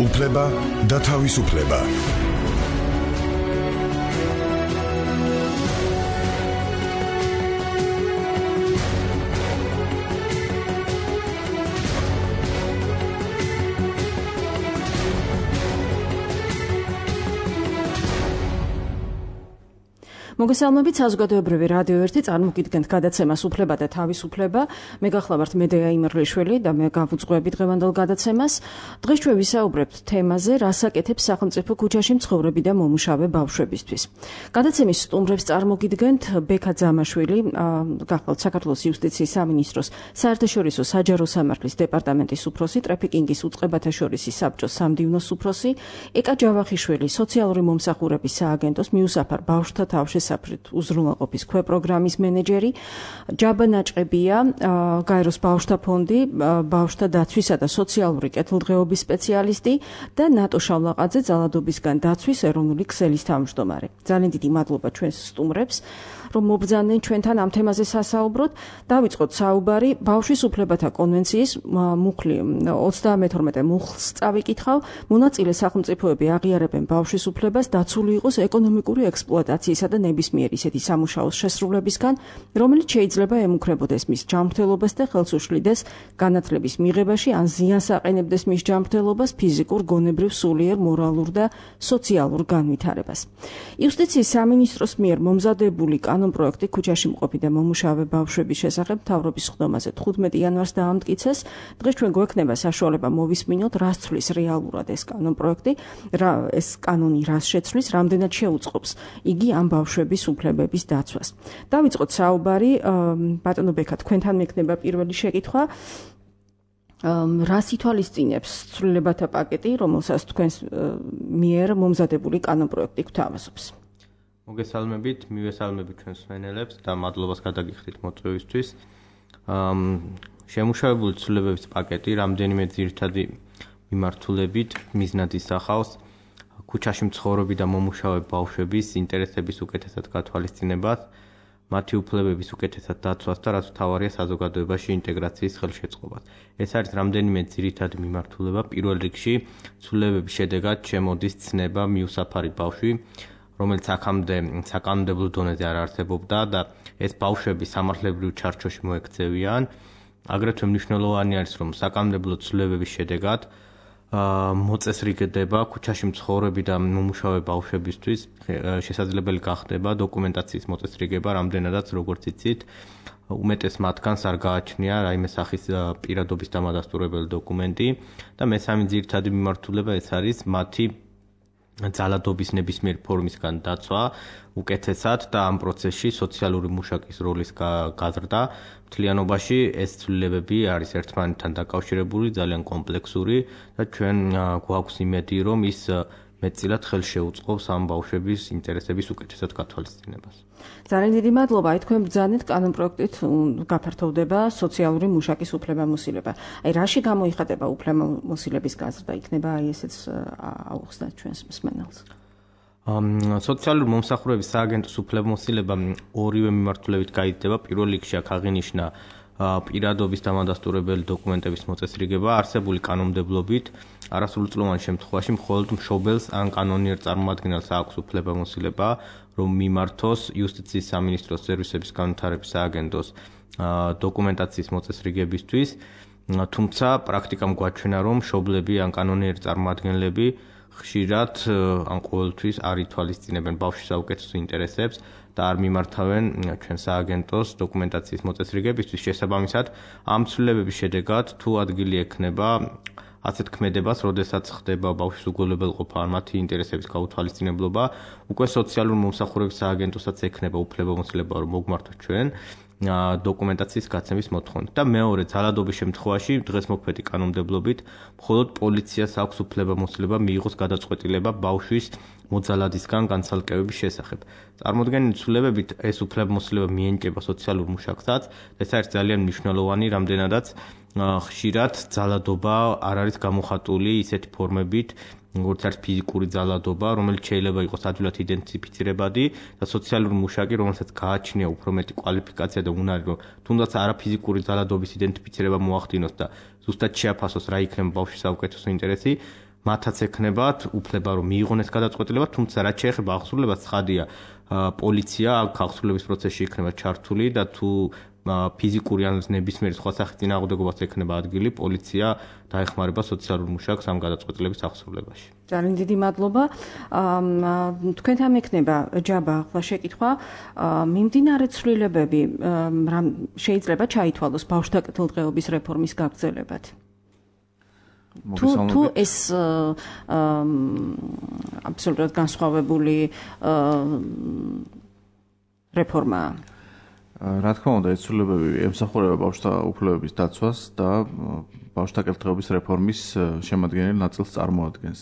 უფლება და თავისუფლება. მოგესალმებით, საზოგადოებრივი რადიო 1 წარმოგიდგენთ გადაცემას უფლება და თავისუფლება. მე გახლავართ მედეა იმერლიშვილი და მე გავუძღვები დღევანდელ გადაცემას. დღეს ჩვენ ვისაუბრებთ თემაზე, რას აკეთებს სახელმწიფო ქუჩაში მცხოვრები და მომუშავე ბავშვებისთვის. გადაცემის სტუმრებს წარმოგიდგენთ ბექა ძამაშვილი, გახლავთ საქართველოს იუსტიციის სამინისტროს საერთაშორისო საჯარო სამართლის დეპარტამენტის უფროსი, ტრაფიკინგის უწყებათა შორისი საბჭოს სამდივნოს უფროსი, ეკა ჯავახიშვილი, სოციალური მომსახურების სააგენტოს მიუსაფარ ბავშვთა თავშესაფრით უზრუნველყოფის ქვეპროგრამის მენეჯერი, ჯაბა ნაჭყებია, გაეროს ბავშვთა ფონდი, ბავშვთა დაცვისა და სოციალური კეთილდღეობის სპეციალისტი და ნატო შავლაყაძე, ძალადობისგან დაცვის ეროვნული ქსელის თავმჯდომარე. ძალიან დიდი მადლობა ჩვენს სტუმრებს, რომ მობრძანდნენ ჩვენთან ამ თემაზე სასაუბროთ. დავიწყოთ საუბარი ბავშვის უფლებათა კონვენციის მუხლი 32 მუხლს წავიკითხავ. მონაწილე სახელმწიფოები აღიარებენ ბავშვის უფლებას დაცული იყოს ეკონომიკური ექსპლუატაციისა და ნებისმიერ ისეთი სამუშაოს შესრულებისგან, რომელიც შეიძლება ემუქრებოდეს მის ჯანმრთელობას და ხელს უშლიდეს განათლების მიღებაში, ან ზიანს აყენებდეს მის ჯანმრთელობას, ფიზიკურ, გონებრივ, სულიერ, მორალურ და სოციალურ განვითარებას. იუსტიციის სამინისტროს მიერ მომზადებული კანონპროექტი ქუჩაში მყოფი და მომუშავე ბავშვების შესახებ მთავრობის სხდომაზე 15 იანვარს დაამტკიცეს. დღეს ჩვენ გვექნება საშუალება მოვისმინოთ, რას ცვლის რეალურად ეს კანონპროექტი, ეს კანონი რას შეცვლის, რამდენად შეუწყობს იგი ამ ბავშვების უფლებების დაცვას. დავიწყოთ საუბარი, ბატონო ბექა, თქვენთან მექნება პირველი შეკითხვა. რას ითვალისწინებს ცვლილებათა პაკეტი, რომელსაც თქვენს მიერ მომზადებული კანონპროექტი გვთავაზობს? მოგესალმებით, მივესალმებით ჩვენს მსმენელებს და მადლობას გადაგიხდით მოწვევისთვის. შემუშავებული ცვლილებების პაკეტი რამდენიმე ძირითადი მიმართულებით მიზნად ისახავს ქუჩაში მცხოვრები და მომუშავე ბავშვების ინტერესების უკეთესად გათვალისწინებას, მათი უფლებების უკეთესად დაცვას და რაც მთავარია საზოგადოებაში ინტეგრაციის ხელშეწყობას. ეს არის რამდენიმე ძირითადი მიმართულება. პირველ რიგში ცვლილებების შედეგად შემოდის ცნება მიუსაფარი ბავშვი, რომელიც აქამდე საკანონმდებლო დონეზე არ არსებობდა და ეს ბავშვები სამართლებრივ ჩარჩოში მოექცევიან. აგრეთვე მნიშვნელოვანი არის, რომ საკანონმდებლო ცვლილებების შედეგად მოწესრიგდება ქუჩაში მცხოვრები და მომუშავე ბავშვებისთვის შესაძლებელი გახდება დოკუმენტაციის მოწესრიგება, რამდენადაც როგორც იცით, უმეტეს მათგანს არ გააჩნია რაიმე სახის პირადობის დამადასტურებელი დოკუმენტი და მესამე ძირითადი მიმართულება ეს არის მათი ძალადობის ნებისმიერ ფორმისგან დაცვა უკეთესად და ამ პროცესში სოციალური მუშაკის როლის გაზრდა. მთლიანობაში ეს ცვლილებები არის ერთმანეთთან დაკავშირებული, ძალიან კომპლექსური და ჩვენ გვაქვს იმედი, რომ ის მეტწილად ხელს შეუწყობს ამ ბავშვების ინტერესების უკეთესად გათვალისწინებას. ძალიან დიდი მადლობა. თქვენ ბრძანეთ კანონპროექტით გაფართოვდება სოციალური მუშაკის უფლებამოსილება. რაში გამოიხატება უფლებამოსილების გაზრდა? იქნება ესეც აუხსნათ ჩვენს მსმენელს. სოციალური მომსახურების სააგენტოს უფლებამოსილება ორივე მიმართულებით გაიზრდება. პირველ რიგში აქ აღინიშნა პირადობის დამადასტურებელი დოკუმენტების მოწესრიგება. არსებული კანონმდებლობით არასრულწლოვან შემთხვევაში მხოლოდ მშობელს ან კანონიერ წარმომადგენელს აქვს უფლებამოსილება, რომ მიმართოს იუსტიციის სამინისტროს სერვისების განვითარების სააგენტოს დოკუმენტაციის მოწესრიგებისთვის. თუმცა პრაქტიკამ გვაჩვენა, რომ მშობლები ან კანონიერი წარმომადგენლები ხშირად ან ყოველთვის არ ითვალისწინებენ ბავშვის საუკეთესო ინტერესებს და არ მიმართავენ ჩვენ სააგენტოს დოკუმენტაციის მოწესრიგებისთვის. შესაბამისად, ამ ცვლილებების შედეგად თუ ადგილი ექნება ასეთ ქმედებას, როდესაც ხდება ბავშვის უგულებელყოფა ან მათი ინტერესების გაუთვალისწინებლობა, უკვე სოციალური მომსახურების სააგენტოსაც ექნება უფლებამოსილება, რომ მოგმართოთ ჩვენ დოკუმენტაციის გაცემის მოთხოვნით. და მეორე, ძალადობის შემთხვევაში დღესმოქმედი კანონმდებლობით მხოლოდ პოლიციას აქვს უფლებამოსილება მიიღოს გადაწყვეტილება ბავშვის მოძალადისგან განცალკევების შესახებ. წარმოდგენილი ცვლილებებით ეს უფლებამოსილება მიენიჭება სოციალურ მუშაკსაც, ეს არის ძალიან მნიშვნელოვანი, რამდენადაც ხშირად ძალადობა არ არის გამოხატული ისეთი ფორმებით, როგორც არის ფიზიკური ძალადობა, რომელიც შეიძლება იყოს ადვილად იდენტიფიცირებადი და სოციალური მუშაკი, რომელსაც გააჩნია უფრო მეტი კვალიფიკაცია და უნარი, რომ თუნდაც არაფიზიკური ძალადობის იდენტიფიცირება მოახდინოს და ზუსტად შეაფასოს რა იქნება ბავშვის საუკეთესო ინტერესი, მათაც ექნებათ უფლება რომ მიიღონ ეს გადაწყვეტილება, თუმცა რაც შეეხება ახსრულებას, ცხადია, პოლიცია ახსრულების პროცესში იქნება ჩართული და თუ ფიზიკური ან ნებისმიერი სხვა სახის წინააღმდეგობას ექნება ადგილი, პოლიცია დაეხმარება სოციალურ მუშაკს ამ გადაწყვეტილების ახსრულებაში. ძალიან დიდი მადლობა. თქვენთან მექნება ჯაბა ახლა შეკითხვა. მიმდინარე ცვლილებები შეიძლება ჩაითვალოს ბავშვთა კეთილდღეობის რეფორმის გაგრძელებად? თუ ეს აბსოლუტურად განსხვავებული რეფორმაა. რა თქმა უნდა, ეს ცვლილებები ემსახურება ბავშვთა უფლებების დაცვას და ბავშვთა კეთილდღეობის რეფორმის შემადგენელ ნაწილს წარმოადგენს.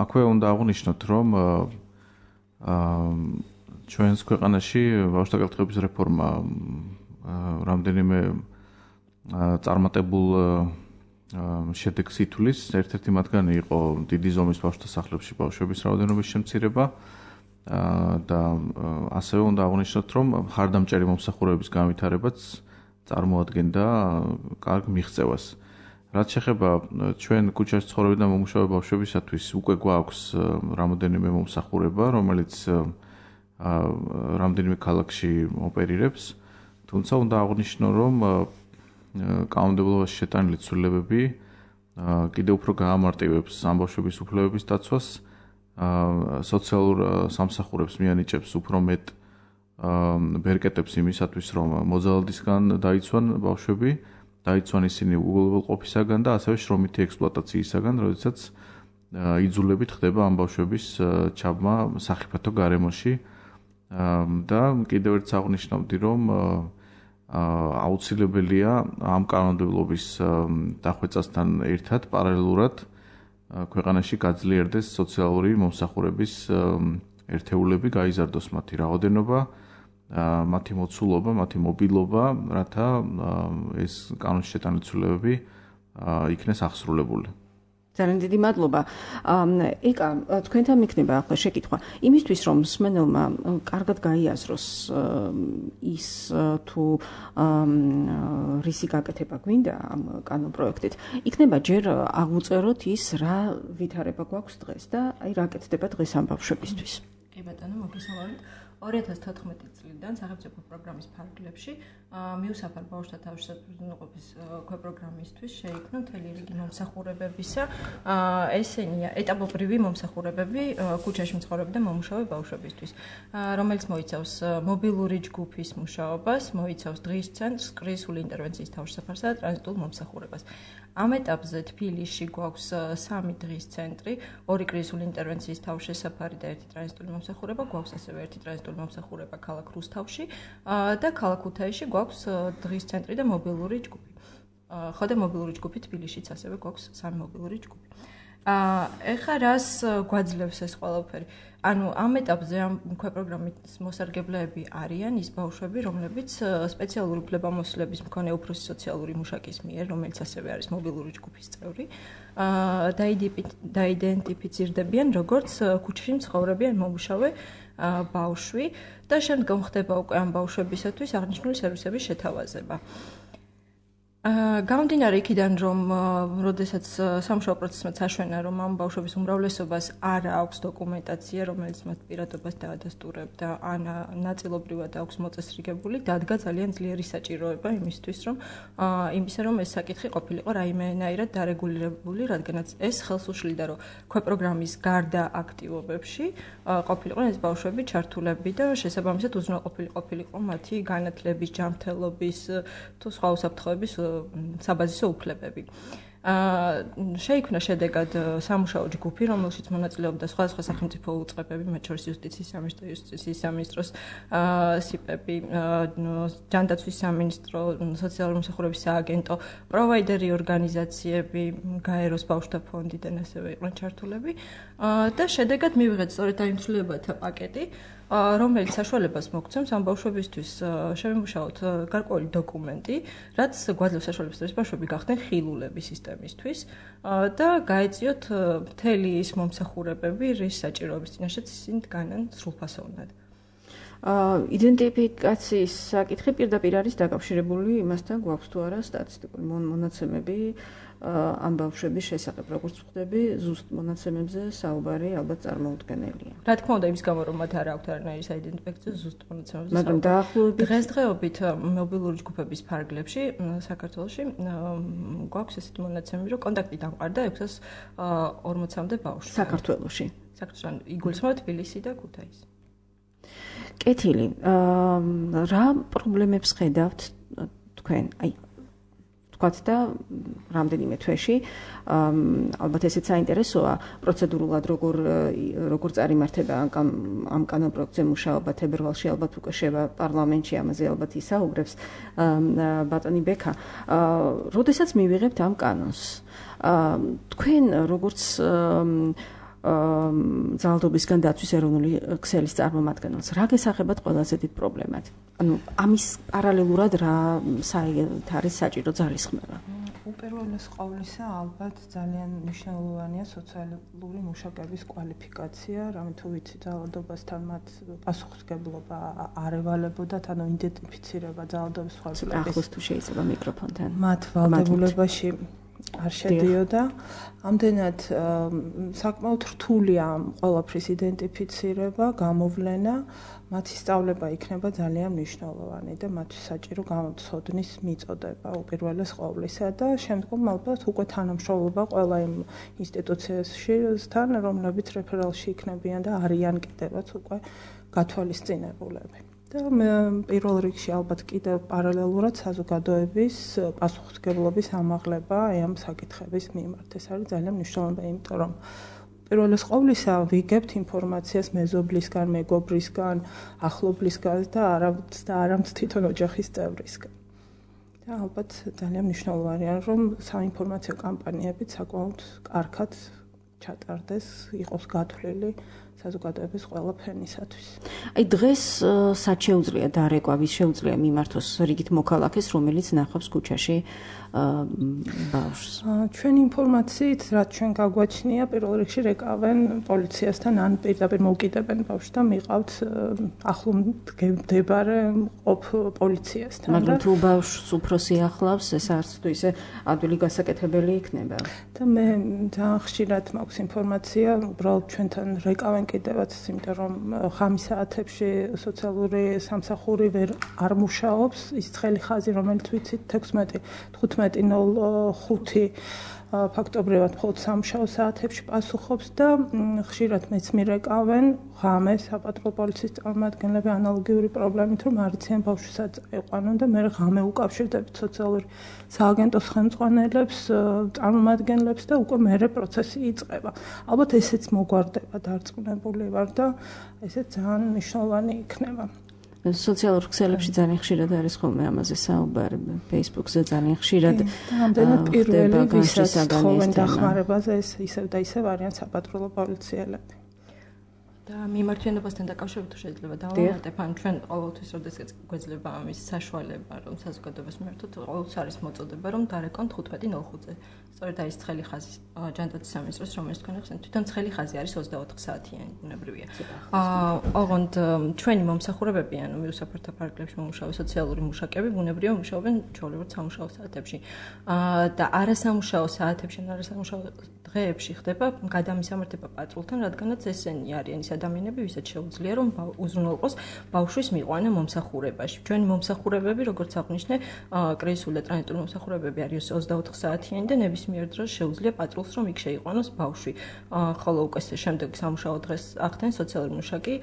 აქვე უნდა აღვნიშნოთ, რომ ჩვენს ქვეყანაში ბავშვთა კეთილდღეობის რეფორმა რამდენიმე წარმატებულ შედეგს ითვლის. ერთ-ერთი მათგანი იყო დიდი ზომის ბავშვთა სახლებში ბავშვების რაოდენობის შემცირება და ასევე უნდა აღვნიშნოთ, რომ მხარდამჭერი მომსახურების განვითარებაც წარმოადგენდა კარგ მიღწევას. რაც შეეხება ჩვენ ქუჩაში ცხოვრები და მომუშავე ბავშვებისათვის, უკვე გვაქვს რამოდენიმე მომსახურება, რომელიც რამდენიმე ქალაქში ოპერირებს, თუმცა უნდა აღვნიშნო, რომ კანონმდებლობაში შეტანილი ცვლილებები კიდევ უფრო გაამარტივებს ამ ბავშვების უფლებების დაცვას, სოციალურ სამსახურებს მიანიჭებს უფრო მეტ ბერკეტებს იმისათვის, რომ მოძალადისგან დაიცვან ბავშვები, დაიცვან ისინი უგულებელყოფისაგან და ასევე შრომითი ექსპლუატაციისაგან, როდესაც იძულებით ხდება ამ ბავშვების ჩაბმა სახიფათო გარემოში და კიდევ ერთ აღნიშნავდი, რომ აუცილებელია ამ კანონმდებლობის დახვეწასთან ერთად პარალელურად ქვეყანაში გაძლიერდეს სოციალური მომსახურების ერთეულები, გაიზარდოს მათი რაოდენობა, მათი მოცულობა, მათი მობილობა, რათა ეს კანონში შეტანილი ცვლილებები იქნეს ახსრულებული. ძალიან დიდი მადლობა. ეკა, თქვენთან მექნება ახლა შეკითხვა. იმისთვის, რომ მსმენელმა კარგად გაიაზროს ის თუ რისი გაკეთება გვინდა ამ კანონპროექტით, იქნება ჯერ აღვწეროთ ის, რა ვითარება გვაქვს დღეს და აი რა კეთდება დღეს ამ ბავშვებისთვის. კი ბატონო, მოგესალმებით. 2014 წლიდან სახელმწიფო პროგრამის ფარგლებში მიუსაფარ ბავშვთა თავშესაფრთხოების ქვეპროგრამისთვის შეიქმნა მთელი რიგი მომსახურებებისა. ესენია ეტაპობრივი მომსახურებები ქუჩაში მცხოვრები და მომუშავე ბავშვებისთვის, რომელიც მოიცავს მობილური ჯგუფის მუშაობას, მოიცავს დღის ცენტრს, კრიზისული ინტერვენციის თავშესაფარსა და ტრანზიტულ მომსახურებას. ამ ეტაპზე თბილისში გვაქვს 3 დღის ცენტრი, 2 კრიზისული ინტერვენციის თავშესაფარი და 1 ტრანზიტული მომსახურება, გვაქვს ასევე 1 ტრანზიტული მომსახურება ქალაქ რუსთავში და ქალაქ ქუთაისში გვაქვს დღის ცენტრი და მობილური ჯგუფი. ხო და მობილური ჯგუფი თბილისშიც ასევე გვაქვს 3 მობილური ჯგუფი. ეხლა რას გვაძლევს ეს ყველაფერი? ანუ ამ ეტაპზე ამ ქვეპროგრამის მოსარგებლეები არიან ის ბავშვები, რომლებიც სპეციალური უფლებამოსილების მქონე უფროსი სოციალური მუშაკის მიერ, რომელიც ასევე არის მობილური ჯგუფის წევრი, დაიდენტიფიცირდებიან როგორც ქუჩაში მცხოვრები ან მომუშავე ბავშვი და შემდგომ ხდება უკვე ამ ბავშვებისათვის აღნიშნული სერვისების შეთავაზება. გამომდინარე იქიდან, რომ როდესაც სამუშაო პროცესმა წაშვენა, რომ ამ ბავშვების უმრავლესობას არ აქვს დოკუმენტაცია, რომელიც მათ პირადობას დაადასტურებდა, ან ნაწილობრივად აქვს მოწესრიგებული, დადგა ძალიან ძლიერი საჭიროება იმისთვის, რომ ეს საკითხი ყოფილიყო რაიმენაირად დარეგულირებული, რადგანაც ეს ხელს უშლიდა, რომ ქვეპროგრამის გარდა აქტივობებში ყოფილიყო ეს ბავშვები ჩართულები და შესაბამისად უზრუნველყოფილიყო მათი განათლების, ჯანმრთელობის თუ სხვა უსაფრთხოების საბაზისო უფლებები. შეიქმნა შედეგად სამუშაო ჯგუფი, რომელშიც მონაწილეობდა სხვადასხვა სახელმწიფო უწყებები, მათ შორის იუსტიციის სამინისტროს სიპები, ჯანდაცვის სამინისტრო, სოციალური მომსახურების სააგენტო, პროვაიდერი ორგანიზაციები, გაეროს ბავშვთა ფონდიდან ასევე იყვნენ ჩართულები და შედეგად მივიღეთ სწორედ ამ ცვლილებათა პაკეტი, რომელიც საშუალებას მოგცემს ამ ბავშვებისთვის შევიმუშაოთ გარკვეული დოკუმენტი, რაც გვაძლევს საშუალებას, რომ ბავშვები გახდნენ ხილულები სისტემისთვის და გაეწიოთ მთელი ის მომსახურებები, რის საჭიროების წინაშეც ისინი დგანან სრულფასოვნად. იდენტიფიკაციის საკითხი პირდაპირ არის დაკავშირებული იმასთან, გვაქვს თუ არა სტატისტიკური მონაცემები ამ ბავშვების შესახებ, როგორც ვხვდები, ზუსტ მონაცემებზე საუბარი ალბათ წარმოუდგენელია. რა თქმა უნდა, იმის გამო რომ მათ არ აქვთ არანაირი საიდენტიფიკაციო ზუსტ მონაცემებზე. მაგრამ დაახლოებით დღესდღეობით მობილური ჯგუფების ფარგლებში საქართველოში გვაქვს ესეთი მონაცემები, რომ კონტაქტი დამყარდა 640-მდე ბავშვს. საქართველოში. საქართველოში იგულისხმება თბილისი და ქუთაისი. კეთილი. რა პრობლემებს ხედავთ თქვენ? აი ვთქვათ და რამდენიმე თვეში ალბათ ესეც საინტერესოა პროცედურულად როგორ წარიმართება ამ კანონპროექტზე მუშაობა თებერვალში ალბათ უკვე შევა პარლამენტში ამაზე ალბათ ისაუბრებს ბატონი ბექა. როდესაც მივიღებთ ამ კანონს თქვენ როგორც ძალადობისგან დაცვის ეროვნული ქსელის წარმომადგენელს რა გესახებათ ყველაზე დიდ პრობლემად? ანუ ამის პარალელურად რა არის საჭირო ძალისხმევა? უპირველეს ყოვლისა ალბათ ძალიან მნიშვნელოვანია სოციალური მუშაკების კვალიფიკაცია, რამე თუ ვიცი ძალადობასთან მათ პასუხისმგებლობა არ ევალებოდათ, ანუ იდენტიფიცირება ძალადობის მსხვერპლების. ახლოს თუ შეიძლება მიკროფონთან. მათ ვალდებულებაში არ შედიოდა. ამდენად საკმაოდ რთულია ყველაფრის იდენტიფიცირება, გამოვლენა, მათი სწავლება იქნება ძალიან მნიშვნელოვანი და მათთვის საჭირო გამოცოდნის მიწოდება უპირველეს ყოვლისა და შემდგომ ალბათ უკვე თანამშრომლობა ყველა იმ ინსტიტუციასთან, რომლებიც რეფერალში იქნებიან და არიან კიდევაც უკვე გათვალისწინებულები. და პირველ რიგში ალბათ კიდევ პარალელურად საზოგადოების პასუხისმგებლობის ამაღლება ამ საკითხების მიმართ. ეს არის ძალიან მნიშვნელოვანი, იმიტომ რომ პირველეს ყოვლისა ვიგებთ ინფორმაციას მეზობლისგან, მეგობრისგან, ახლობლისგან და არამც თვითონ ოჯახის წევრისგან. და ალბათ ძალიან მნიშვნელოვანია, რომ საინფორმაციო კამპანიებიც საკმაოდ კარგად ჩატარდეს, იყოს გათვლილი საზოგადოების ყველა ფენისათვის. აი დღეს სად შეუძლია დარეკვა, ვის შეუძლია მიმართოს რიგით მოქალაქეს, რომელიც ნახავს ქუჩაში ბავშვს? ჩვენი ინფორმაციით, რაც ჩვენ გაგვაჩნია, პირველ რიგში რეკავენ პოლიციასთან ან პირდაპირ მოვკიდებენ ბავშვს და მიყავთ ახლო მდებარე ყოფ პოლიციასთან. მაგრამ თუ ბავშვს უფროსი ახლავს, ეს არც თუ ისე ადვილი გასაკეთებელი იქნება. და მე ძალიან ხშირად მაქვს ინფორმაცია, უბრალოდ ჩვენთან რეკავენ კიდევაც, იმიტომ რომ ხამის საათებში სოციალური სამსახური არ მუშაობს, ის ცხელი ხაზი, რომელიც ვიცით 16:15 ფაქტობრივად მხოლოდ სამუშაო საათებში პასუხობს და ხშირად მეც მირეკავენ ღამე საპატრულო პოლიციის წარმომადგენლები ანალოგიური პრობლემით, რომ არ იციან ბავშვს წაიყვანონ და მე ღამე უკავშირდებით სოციალური სააგენტოს ხელმძღვანელებს, წარმომადგენლებს და უკვე მერე პროცესი იწყება. ალბათ ესეც მოგვარდება, დარწმუნებული ვარ და ესეც ძალიან მნიშვნელოვანი იქნება. სოციალურ ქსელებში ძალიან ხშირად არის ხოლმე ამაზე საუბარი, Facebook-ზე ძალიან ხშირად. ამდენად პირველი ვისაც თხოვენ დახმარებაზე ეს ისევ და ისევ არიან საპატრულო პოლიციელები. და მიმართვიანობასთან დაკავშირებით თუ შეიძლება დავამატებ, ან ჩვენ ყოველთვის როდესაც გვეძლება ამის საშუალება, რომ საზოგადოებას მიმართოთ, ყოველთვის არის მოწოდება, რომ დარეკონ 15:05-ზე. სწორედ აი ეს ცხელი ხაზი ჯანდაცვის სამინისტროს, რომელიც თქვენ ახსენეთ, თვითონ ცხელი ხაზი არის 24 საათიანი, ბუნებრივია. ოღონდ ჩვენი მომსახურებები, ანუ მიუსაფრთა ფარგლებში მომუშავე სოციალური მუშაკები, ბუნებრივია მუშაობენ ჩვეულებრივ სამუშაო საათებში. და არასამუშაო საათებში, არასამუშაო დღეებში ხდება გადამისამართება პატრულთან, რადგანაც ესენი არიან ის ადამიანები, ვისაც შეუძლია რომ უზრუნველყოს ბავშვის მიყვანა მომსახურებაში. ჩვენი მომსახურებები, როგორც აღნიშნე, კრიზისული და ტრანზიტული მომსახურებები არის 24 საათიანი და ნებისმიერ დროს შეუძლია პატრულს რომ იქ შეიყვანოს ბავშვი. ხოლო უკვე შემდეგ სამუშაო დღეს ახდენ სოციალური მუშაკი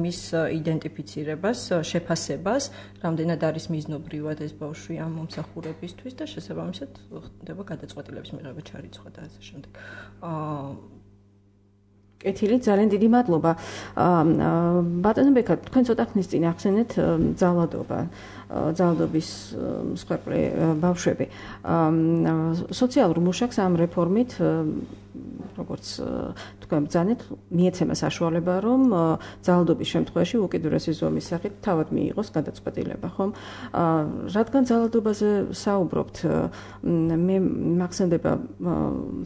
მის იდენტიფიცირებას, შეფასებას, რამდენად არის მიზნობრივად ეს ბავშვი ამ მომსახურებისთვის და შესაბამისად ხდება გადაწყვეტილების მიღება ჩარიცხვა და ასე შემდეგ. კეთილი, ძალიან დიდი მადლობა. ბატონო ბექა, თქვენ ცოტა ხნის წინ ახსენეთ ძალადობის მსხვერპლი ბავშვები. სოციალურ მუშაკს ამ რეფორმით როგორც თქვენ ბრძანეთ, მიეცემა საშუალება, რომ ძალადობის შემთხვევაში უკიდურესი ზომის სახით თავად მიიღოს გადაწყვეტილება, ხომ? რადგან ძალადობაზე საუბრობთ, მე მახსენდება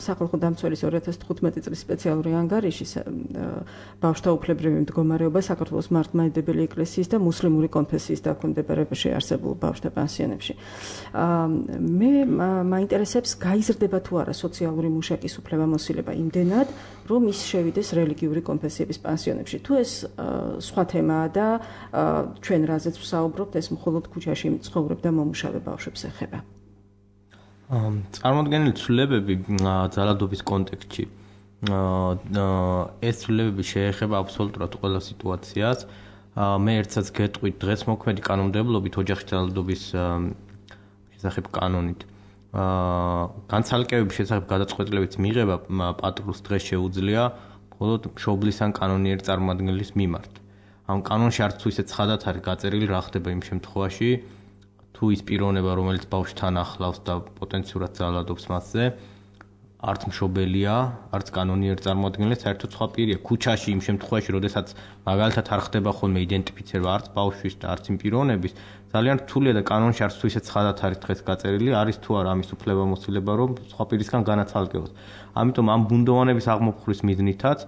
სახალხო დამცველის 2015 წლის სპეციალური ანგარიში ბავშვთა უფლებრივი მდგომარეობა საქართველოს მართლმადიდებელი ეკლესიის და მუსლიმური კონფესიის დაქვემდებარებაში არსებულ ბავშვთა პანსიონებში. მე მაინტერესებს, გაიზრდება თუ არა სოციალური მუშაკის უფლებამოსილება იმდენად, რომ ის შევიდეს რელიგიური კონფესიების პანსიონებში. თუ ეს სხვა თემაა და ჩვენ რაზეც ვსაუბრობთ, ეს მხოლოდ ქუჩაში მცხოვრებ და მომუშავე ბავშვებს ეხება. წარმოდგენილი ცვლილებები ძალადობის კონტექსტში ეს ცვლილებები შეეხება აბსოლუტურად ყველა სიტუაციას. მე ერთსაც გეტყვით, დღეს მოქმედი კანონმდებლობით ოჯახის ძალადობის შესახებ კანონით განცალკევების შესახებ გადაწყვეტილებების მიღება პატრულს დღეს შეუძლია მხოლოდ მშობლის ან კანონიერი წარმომადგენლის მიმართ. ამ კანონში არც თუ ისე ცხადად არის გაწერილი რა ხდება იმ შემთხვევაში, თუ ის პიროვნება, რომელიც ბავშვთან ახლავს და პოტენციურად ძალადობს მასზე, არც მშობელია, არც კანონიერი წარმომადგენელი, საერთოდ სხვა პირია. ქუჩაში იმ შემთხვევაში, როდესაც მაგალითად არ ხდება ხოლმე იდენტიფიცირება არც ბავშვის და არც იმ პიროვნების, ძალიან რთულია და კანონში არც თუ ისე ცხადად არის დღეს გაწერილი, არის თუ არა ამის უფლებამოსილება, რომ სხვა პირისგან განაცალკევოს. ამიტომ ამ ბუნდოვანების აღმოფხვის მიზნითაც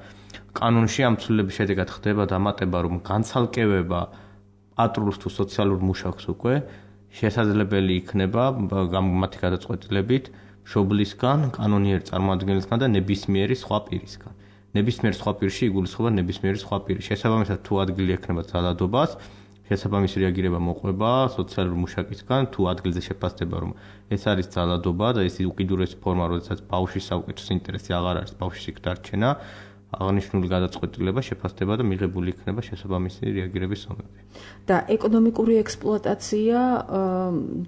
კანონში ამ ცვლილების შედეგად ხდება დამატება, რომ განცალკევება პატრულს თუ სოციალურ მუშაკს უკვე შესაძლებელი იქნება მათი გადაწყვეტილებით მშობლისგან, კანონიერი წარმომადგენლისგან და ნებისმიერი სხვა პირისგან. ნებისმიერ სხვა პირში იგულისხმება ნებისმიერი სხვა პირი. შესაბამისად, თუ ადგილი ექნება ძალადობას, შესაბამისი რეაგირება მოყვება სოციალურ მუშაკისგან, თუ ადგილზე შეფასდება, რომ ეს არის ძალადობა და ეს უკიდურესი ფორმა, როდესაც ბავშვის საუკეთესო ინტერესი აღარ არის ბავშვის იქ დარჩენა, აღნიშნული გადაწყვეტილება შეფასდება და მიღებული იქნება შესაბამისი რეაგირების ზომები. და ეკონომიკური ექსპლუატაცია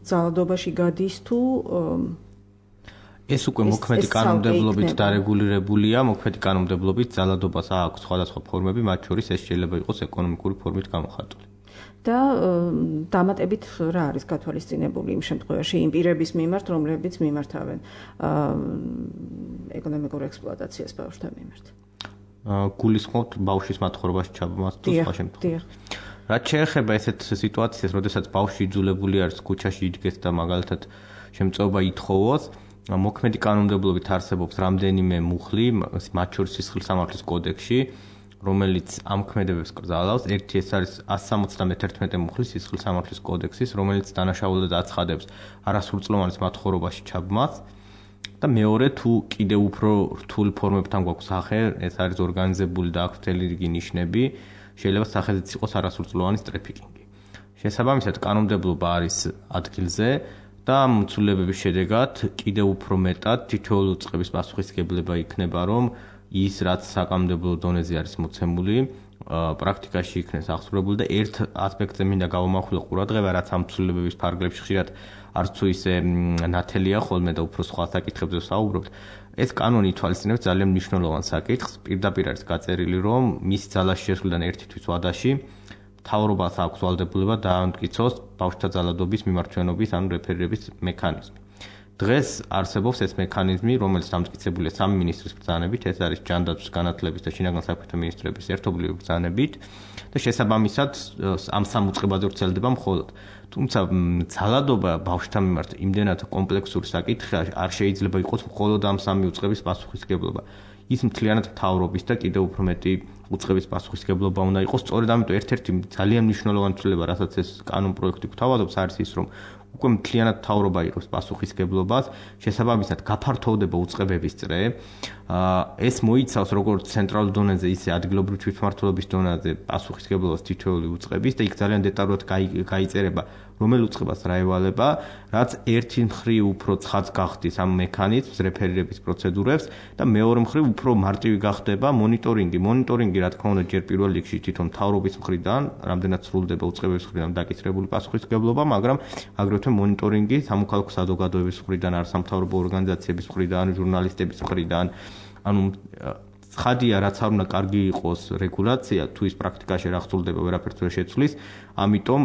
ძალადობაში გადის თუ ეს უკვე მოქმედი კანონმდებლობით დარეგულირებულია, მოქმედი კანონმდებლობით ძალადობას აქვს სხვადასხვა ფორმები, მათ შორის ეს შეიძლება იყოს ეკონომიკური ფორმით გამოხატული. და დამატებით რა არის გათვალისწინებული იმ შემთხვევაში იმ პირების მიმართ, რომლებიც მიმართავენ ეკონომიკურ ექსპლუატაციას ბავშვთა მიმართ. გულისხმობთ ბავშვის მათხოვრებაში ჩაბმას თუ სხვა შემთხვევაში. რაც შეეხება ესეთ სიტუაციას, როდესაც ბავშვი იძულებული არის ქუჩაში იდგეს და მაგალითად შემწეობა ითხოვოს, მოქმედი კანონმდებლობით არსებობს რამდენიმე მუხლი, მათ შორის სისხლის სამართლის კოდექსში, რომელიც ამ ქმედებებს კრძალავს. ერთი ეს არის 171 მუხლი სისხლის სამართლის კოდექსის, რომელიც დანაშაულად აცხადებს არასრულწლოვანის მათხოვრებაში ჩაბმას. და მეორე, თუ კიდევ უფრო რთული ფორმებთან გვაქვს სახე, ეს არის ორგანიზებული და აქვს მთელი რიგი ნიშნები, შეიძლება სახეზეც იყოს არასრულწლოვანის ტრაფიკინგი. შესაბამისად, კანონმდებლობა არის ადგილზე და ამ ცვლილებების შედეგად კიდევ უფრო მეტად თითოეული უწყების პასუხისმგებლობა იქნება, რომ ის რაც საკანონმდებლო დონეზე არის მოცემული, პრაქტიკაში იქნეს აღსრულებული და ერთ ასპექტზე მინდა გავამახვილო ყურადღება, რაც ამ ცვლილებების ფარგლებში ხშირად არც თუ ისე ნათელია ხოლმე და უფრო სხვა საკითხებზე ვსაუბრობთ. ეს კანონი ითვალისწინებს ძალიან მნიშვნელოვან საკითხს. პირდაპირ არის გაწერილი, რომ მის ძალაში შესვლიდან ერთი თვის ვადაში მთავრობას აქვს ვალდებულება დაამტკიცოს ბავშვთა ძალადობის მიმართვენობის ან რეფერირების მექანიზმი. დღეს არსებობს ეს მექანიზმი, რომელიც დამტკიცებულია სამი მინისტრის ბრძანებით, ეს არის ჯანდაცვის, განათლების და შინაგან საქმეთა მინისტრების ერთობლივი ბრძანებით და შესაბამისად ამ სამ უწყებაზე ვრცელდება მხოლოდ. თუმცა ძალადობა ბავშვთა მიმართ იმდენად კომპლექსური საკითხია, არ შეიძლება იყოს მხოლოდ ამ სამი უწყების პასუხისმგებლობა. ის მთლიანად მთავრობის და კიდევ უფრო მეტი უწყების პასუხისმგებლობა უნდა იყოს. სწორედ ამიტომ ერთ-ერთი ძალიან მნიშვნელოვანი ცვლილება, რასაც ეს კანონ პროექტი გვთავაზობს, არის ის, რომ უკვე მთლიანად მთავრობა იღებს პასუხისმგებლობას, შესაბამისად გაფართოვდება უწყებების წრე. ეს მოიცავს როგორც ცენტრალურ დონეზე, ისე ადგილობრივი თვითმმართველობის დონეზე პასუხისმგებლობას თითოეული უწყების და იქ ძალიან დეტალურად გაიწერება, რომელ უწყებას რა ევალება, რაც ერთი მხრივ უფრო ცხადს გახდის ამ მექანიზმს, რეფერირების პროცედურებს და მეორე მხრივ უფრო მარტივი გახდება მონიტორინგი. მონიტორინგი, რა თქმა უნდა, ჯერ პირველ რიგში თვითონ მთავრობის მხრიდან, რამდენად სრულდება უწყებების მხრიდან დაკისრებული პასუხისმგებლობა, მაგრამ აგრეთვე მონიტორინგი სამოქალაქო საზოგადოების მხრიდან, არასამთავრობო ორგანიზაციების მხრიდან, ჟურნალისტების მხრიდან, ანუ ცხადია, რაც არ უნდა კარგი იყოს რეგულაცია, თუ ის პრაქტიკაში რა ხსოვდება, ვერაფერს ვერ შეცვლის, ამიტომ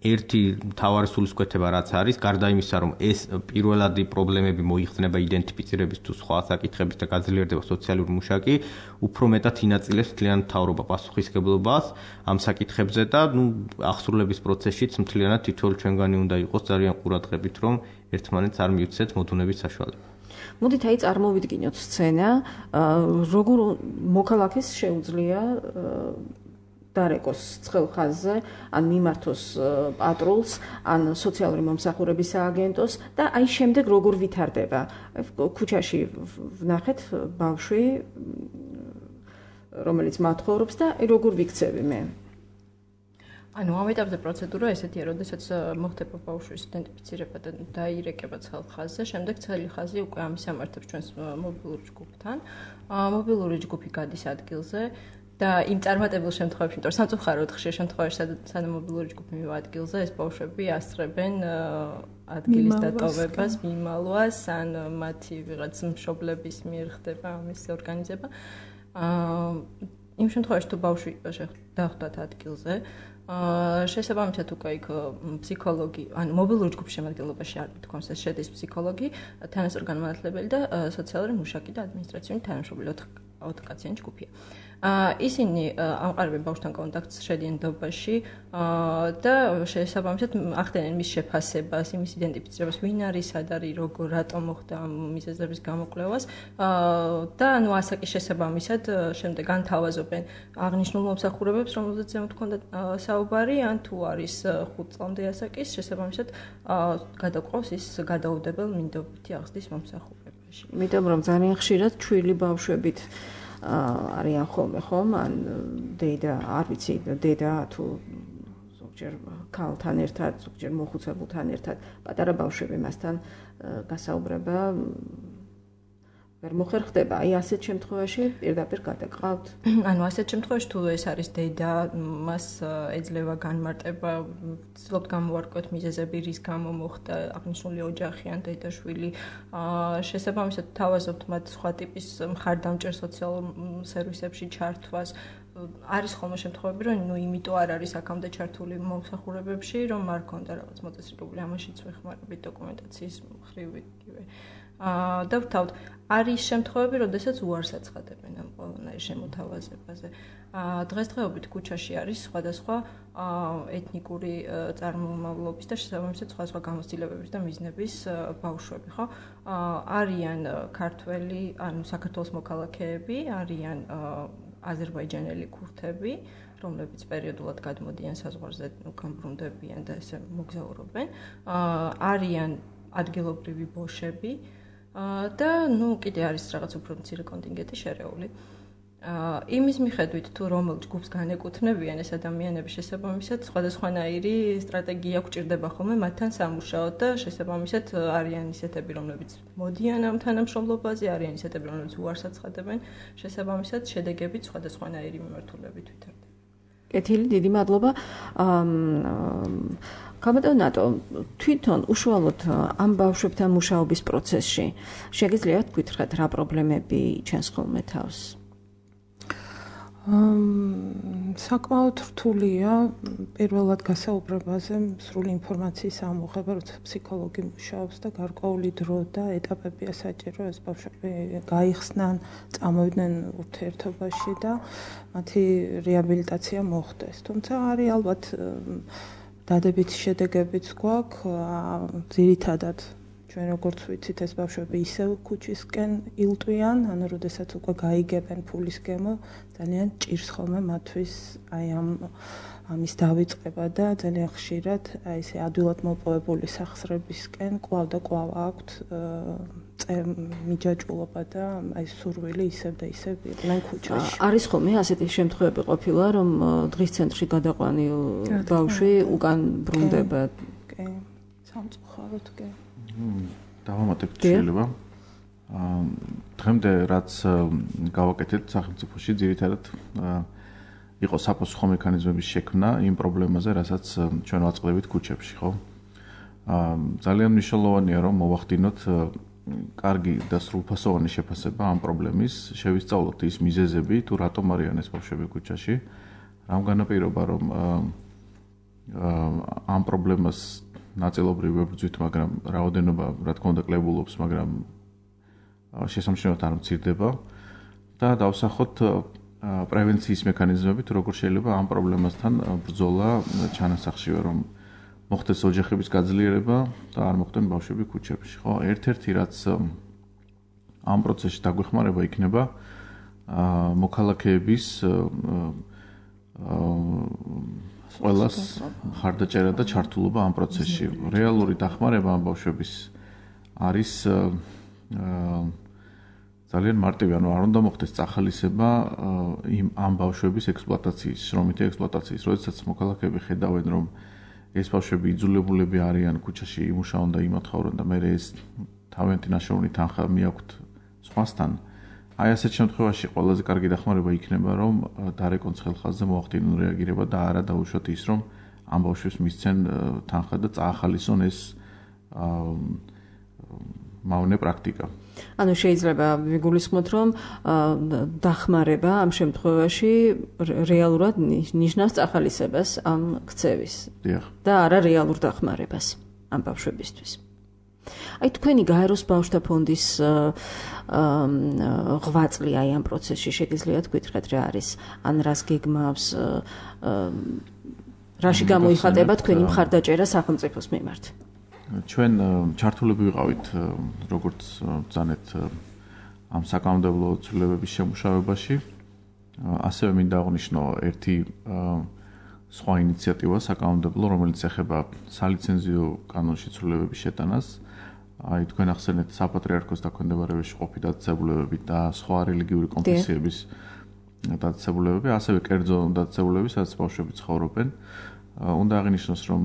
ერთი მთავარი სულისკვეთება რაც არის, გარდა იმისა, რომ ეს პირველადი პრობლემები მოიხსნება იდენტიფიცირების თუ სხვა საკითხების და გაძლიერდება სოციალური მუშაკი, უფრო მეტად ინაწილებს მთლიან მთავრობა პასუხისმგებლობას ამ საკითხებზე და აღსრულების პროცესშიც მთლიანად თითოეული ჩვენგანი უნდა იყოს ძალიან ყურადღებით, რომ ერთმანეთს არ მიუცეთ მოდუნების საშუალება. მოდით აი წარმოვიდგინოთ სცენა, როგორ მოქალაქეს შეუძლია დარეკოს ცხელ ხაზზე, ან მიმართოს პატრულს, ან სოციალური მომსახურების სააგენტოს და აი შემდეგ როგორ ვითარდება. ქუჩაში ვნახეთ ბავშვი, რომელიც მათხოვრობს და როგორ ვიქცევი მე. ანუ ამ ეტაპზე პროცედურა ესეთია, როდესაც მოხდება ბავშვის იდენტიფიცირება და დაირეკება ცხელ ხაზზე, შემდეგ ცხელი ხაზი უკვე ამისამართებს ჩვენს მობილური ჯგუფთან. მობილური ჯგუფი გადის ადგილზე და იმ წარმატებულ შემთხვევებში, იმიტომ რომ სამწუხაროდ ხშირ შემთხვევაში სანამ მობილური ჯგუფი მივა ადგილზე, ეს ბავშვები ასწრებენ ადგილის დატოვებას, მიმალვას, ან მათი ვიღაც მშობლების მიერ ხდება ამის ორგანიზება. იმ შემთხვევაში თუ ბავშვი დახვდათ ადგილზე, შესაბამისად უკვე იქ ფსიქოლოგი, ან მობილური ჯგუფის შემადგენლობაში არ თქონს ეს შედის ფსიქოლოგი, თანასწორი განმანათლებელი და სოციალური მუშაკი და ადმინისტრაციული თანამშრომელი 4 კაციანი ჯგუფია. ისინი ამყარებენ ბავშვთან კონტაქტს, შედიან დობაში და შესაბამისად ახდენენ მის შეფასებას, იმის იდენტიფიცირებას, ვინ არის, სად არის, როგორ, რატომ მოხდა ამ მიზეზების გამოკვლევას და ანუ ასაკის შესაბამისად შემდეგ განთავაზობენ აღნიშნულ მომსახურებებს, რომელზეც ზემოთ ჰქონდა საუბარი, ან თუ არის 5 წლამდე ასაკის, შესაბამისად გადაყავს ის გადაუდებელ მინდობითი აღზრდის მომსახურებაში. იმიტომ რომ ძალიან ხშირად ჩვილი ბავშვებით არიან ხოლმე ხომ, ან დედა, არ ვიცი, დედა თუ ზოგჯერ ქალთან ერთად, ზოგჯერ მოხუცებულთან ერთად, პატარა ბავშვები მასთან გასაუბრება ვერ მოხერხდება. აი ასეთ შემთხვევაში პირდაპირ გადაყავთ. ანუ ასეთ შემთხვევაში თუ ეს არის დედა, მას ეძლევა განმარტება, ცდილობთ გამოვარკვევთ მიზეზები, რის გამო მოხდა აღნიშნული ოჯახი ან დედა-შვილი. შესაბამისად თავაზობთ მათ სხვა ტიპის მხარდამჭერ სოციალურ სერვისებში ჩართვას. არის ხოლმე შემთხვევები, რომ იმიტომ არ არის აქამდე ჩართული მომსახურებებში, რომ არ ქონდა რაღაც მოწესრიგებული, ამაშიც ვეხმარებით დოკუმენტაციის მხრივ. და ვთავთ, არის შემთხვევები, როდესაც უარს აცხადებენ ამ ყველანაირ შემოთავაზებაზე. დღესდღეობით ქუჩაში არის სხვადასხვა ეთნიკური წარმომავლობის და შესაბამისად სხვადასხვა გამოცდილებების და მიზნების ბავშვები, ხო? არიან ქართველი, ანუ საქართველოს მოქალაქეები, არიან აზერბაიჯანელი ქურთები, რომლებიც პერიოდულად გადმოდიან საზღვარზე, გამბრუნდებიან და ესე მოგზაურობენ. არიან ადგილობრივი ბოშები და კიდე არის რაღაც უფრო მცირე კონტინგენტი შერეული. იმის მიხედვით თუ რომელ ჯგუფს განეკუთვნებიან ეს ადამიანები, შესაბამისად სხვადასხვანაირი სტრატეგია გვჭირდება ხოლმე მათთან სამუშაოდ და შესაბამისად არიან ისეთები, რომლებიც მოდიან ამ თანამშრომლობაზე, არიან ისეთები, რომლებიც უარს აცხადებენ, შესაბამისად შედეგებით სხვადასხვანაირი მიმართულებით ვითარდება. კეთილი, დიდი მადლობა. კაბატონატო, თვითონ უშუალოდ ამ ბავშვებთან მუშაობის პროცესში შეგიძლიათ გითხრათ რა პრობლემები ჩანს ხოლმე თავს? საკმაოდ რთულია პირველად გასაუბრებაზე სრული ინფორმაციის ამოღება, როცა ფსიქოლოგი მუშაობს და გარკვეული დრო და ეტაპებია საჭირო ეს ბავშვები გაიხსნან, წამოვიდნენ ურთიერთობაში და მათი რეაბილიტაცია მოხდეს. თუმცა არის ალბათ დადებითი შედეგებიც გვაქვს, ძირითადად ჩვენ როგორც ვიცით ეს ბავშვები ისევ ქუჩისკენ ილტვიან, ანუ როდესაც უკვე გაიგებენ ფულის გემო, ძალიან ჭირს ხოლმე მათთვის აი ამის დავიწყება და ძალიან ხშირად აი ესე ადვილად მოპოვებული სახსრებისკენ კვლავ და კვლავ აქვთ მიჯაჭულობა და აი სურვილი ისევ და ისევ იყვნენ ქუჩაში. არის ხოლმე ასეთი შემთხვევები ყოფილა, რომ დღის ცენტრში გადაყვანილ ბავშვი უკან ბრუნდება? კი, სამწუხაროდ კი. დავამატებთ შეიძლება. დღემდე რაც გავაკეთეთ სახელმწიფოში, ძირითადად იყო საპასუხო მექანიზმების შექმნა იმ პრობლემაზე, რასაც ჩვენ ვაწყდებით ქუჩებში, ხო? ძალიან მნიშვნელოვანია, რომ მოვახდინოთ კარგი და სრულფასოვანი შეფასება ამ პრობლემის, შევისწავლოთ ის მიზეზები, თუ რატომ არიან ეს ბავშვები ქუჩაში, რამ განაპირობა, რომ ამ პრობლემას ნაწილობრივ ვებრძვით, მაგრამ რაოდენობა რა თქმა უნდა კლებულობს, მაგრამ შესამჩნევად არ მცირდება და დავსახოთ პრევენციის მექანიზმებით, როგორ შეიძლება ამ პრობლემასთან ბრძოლა ჩანასახშივე, რომ მოხდეს ოჯახების გაძლიერება და არ მოხდნენ ბავშვები ქუჩებში, ხო? ერთ-ერთი რაც ამ პროცესში დაგვეხმარება იქნება მოქალაქეების ყველას ხარდაჭერა და ჩართულობა ამ პროცესში. რეალური დახმარება ამ ბავშვების არის ძალიან მარტივი, ანუ არ უნდა მოხდეს წახალისება ამ ბავშვების ექსპლუატაციის, შრომითი ექსპლუატაციის. როდესაც მოქალაქეები ხედავენ, რომ ეს ბავშვები იძულებულები არიან ქუჩაში იმუშაონ და იმათხოვრონ და მერე ეს თავიანთი ნაშრომი თანხა მიაქვთ სხვასთან, აი ასეთ შემთხვევაში ყველაზე კარგი დახმარება იქნება, რომ დარეკონ ხელხაზზე მოახდინონ რეაგირება და არა დაუშვათ ის, რომ ამ ბავშვებს მისცენ თანხა და წაახალისონ ეს მავნე პრაქტიკა. ანუ შეიძლება ვიგულისხმოთ, რომ დახმარება ამ შემთხვევაში რეალურად ნიშნავს წახალისებას ამ ქცევის და არა რეალურ დახმარებას ამ ბავშვებისთვის. აი თქვენი გაეროს ბავშვთა ფონდის ღვაწლი აი ამ პროცესში შეგიძლიათ გითხრათ რა არის? ან რას გეგმავს? რაში გამოიხატება თქვენი მხარდაჭერა სახელმწიფოს მიმართ? ჩვენ ჩართულები ვიყავით როგორც ბრძანეთ ამ საკანონმდებლო ცვლილებების შემუშავებაში. ასევე მინდა აღვნიშნო ერთი სხვა ინიციატივა საკანონმდებლო, რომელიც ეხება სალიცენზიო კანონში ცვლილებების შეტანას. აი თქვენ ახსენეთ საპატრიარქოს დაქვემდებარებაში ყოფი დაწესებულებები და სხვა რელიგიური კონფესიების დაწესებულებები, ასევე კერძო დაწესებულებები, სადაც ბავშვები ცხოვრობენ. უნდა აღინიშნოს, რომ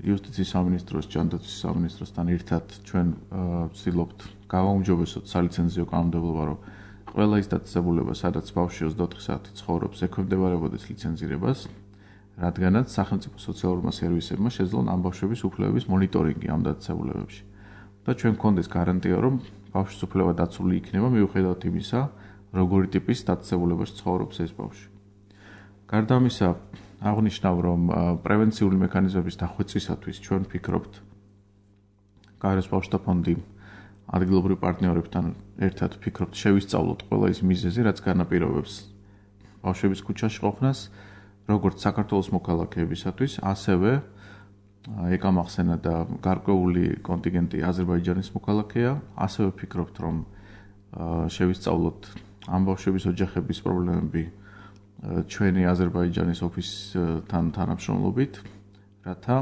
იუსტიციის სამინისტროს, ჯანდაცვის სამინისტროსთან ერთად ჩვენ ვცდილობთ გავაუმჯობესოთ სალიცენზიო კანონმდებლობა, რომ ყველა ის დაწესებულება, სადაც ბავშვი 24 საათი ცხოვრობს, ექვემდებარებოდეს ლიცენზირებას, რადგანაც სახელმწიფო სოციალურმა სერვისებმა შეძლონ ამ ბავშვების უფლებების მონიტორინგი ამ დაწესებულებებში. და ჩვენ გქონდეს გარანტია, რომ ბავშვის უფლება დაცული იქნება მიუხედავად იმისა, როგორი ტიპის დაწესებულებაში ცხოვრობს ეს ბავშვი. გარდა ამისა, აღნიშნავ, რომ პრევენციული მექანიზმების დახვეწისათვის ჩვენ ვფიქრობთ გაეროს ბავშვთა ფონდი ადგილობრივ პარტნიორებთან ერთად ვფიქრობთ შევისწავლოთ ყველა ის მიზეზი, რაც განაპირობებს ბავშვების ქუჩაში ყოფნას, როგორც საქართველოს მოქალაქეებისათვის, ასევე ეკამახსენა და გარკვეული კონტინგენტი აზერბაიჯანის მოქალაქეა, ასევე ვფიქრობთ, რომ შევისწავლოთ ამ ბავშვების ოჯახების პრობლემები ჩვენი აზერბაიჯანის ოფისთან თანამშრომლობით, რათა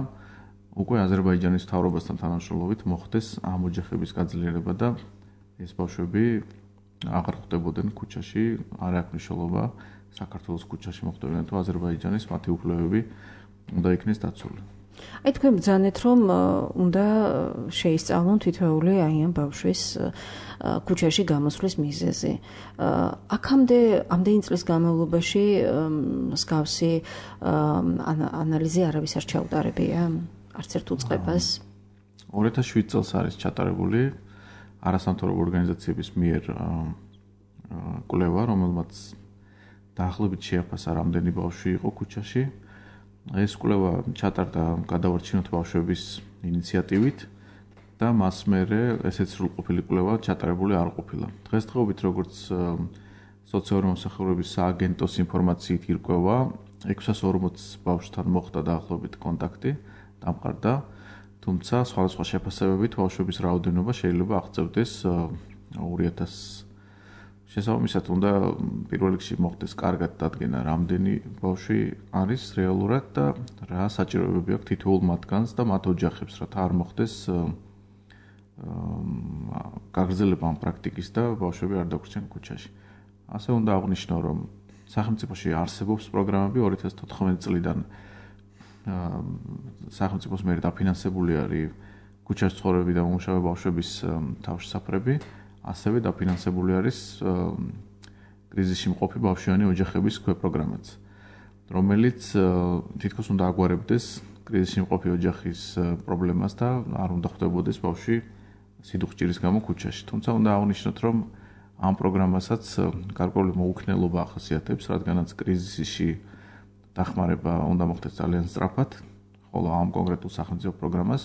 უკვე აზერბაიჯანის მთავრობასთან თანამშრომლობით მოხდეს ამ ოჯახების გაძლიერება და ეს ბავშვები აღარ ხვდებოდნენ ქუჩაში, არ აქვს მნიშვნელობა საქართველოს ქუჩაში მოხვდებიან თუ აზერბაიჯანის მათი უფლებები უნდა იქნეს დაცული. აი თქვენ ბრძანეთ, რომ უნდა შეისწავლონ თითოეული აი ამ ბავშვის ქუჩაში გამოსვლის მიზეზი. აქამდე ამდენი წლის განმავლობაში მსგავსი ანალიზი არავის არ ჩაუტარებია არც ერთ უწყებას? 2007 წელს არის ჩატარებული არასამთავრობო ორგანიზაციების მიერ კვლევა, რომელმაც დაახლოებით შეაფასა რამდენი ბავშვი იყო ქუჩაში. ეს კვლევა ჩატარდა გადავარჩინოთ ბავშვების ინიციატივით და მას მერე ესეც სრულყოფილი კვლევა ჩატარებული არ ყოფილა. დღესდღეობით როგორც სოციალური მომსახურების სააგენტოს ინფორმაციით ირკვევა, 640 ბავშვთან მოხდა დაახლოებით კონტაქტი, დამყარდა, თუმცა სხვადასხვა შეფასებებით ბავშვების რაოდენობა შეიძლება აღწევდეს 2000. შესაბამისად, უნდა პირველ რიგში მოხდეს კარგად დადგენა, რამდენი ბავშვი არის რეალურად და რა საჭიროებები აქვს თითოეულ მათგანს და მათ ოჯახებს, რათა არ მოხდეს გაგრძელება ამ პრაქტიკის და ბავშვები არ დაგვრჩენ ქუჩაში. ასე უნდა აღვნიშნო, რომ სახელმწიფოში არსებობს პროგრამები 2014 წლიდან სახელმწიფოს მიერ დაფინანსებული არის ქუჩაში ცხოვრები და მომუშავე ბავშვების თავშესაფრები. ასევე დაფინანსებული არის კრიზისში მყოფი ბავშვიანი ოჯახების პროგრამაც, რომელიც თითქოს უნდა აგვარებდეს კრიზისში მყოფი ოჯახის პრობლემას და არ უნდა ხვდებოდეს ბავშვი სიდუხჭირის გამო ქუჩაში. თუმცა უნდა აღვნიშნოთ, რომ ამ პროგრამასაც გარკვეული მოუქნელობა ახასიათებს, რადგანაც კრიზისში დახმარება უნდა მოხდეს ძალიან სწრაფად, ხოლო ამ კონკრეტულ სახელმწიფო პროგრამას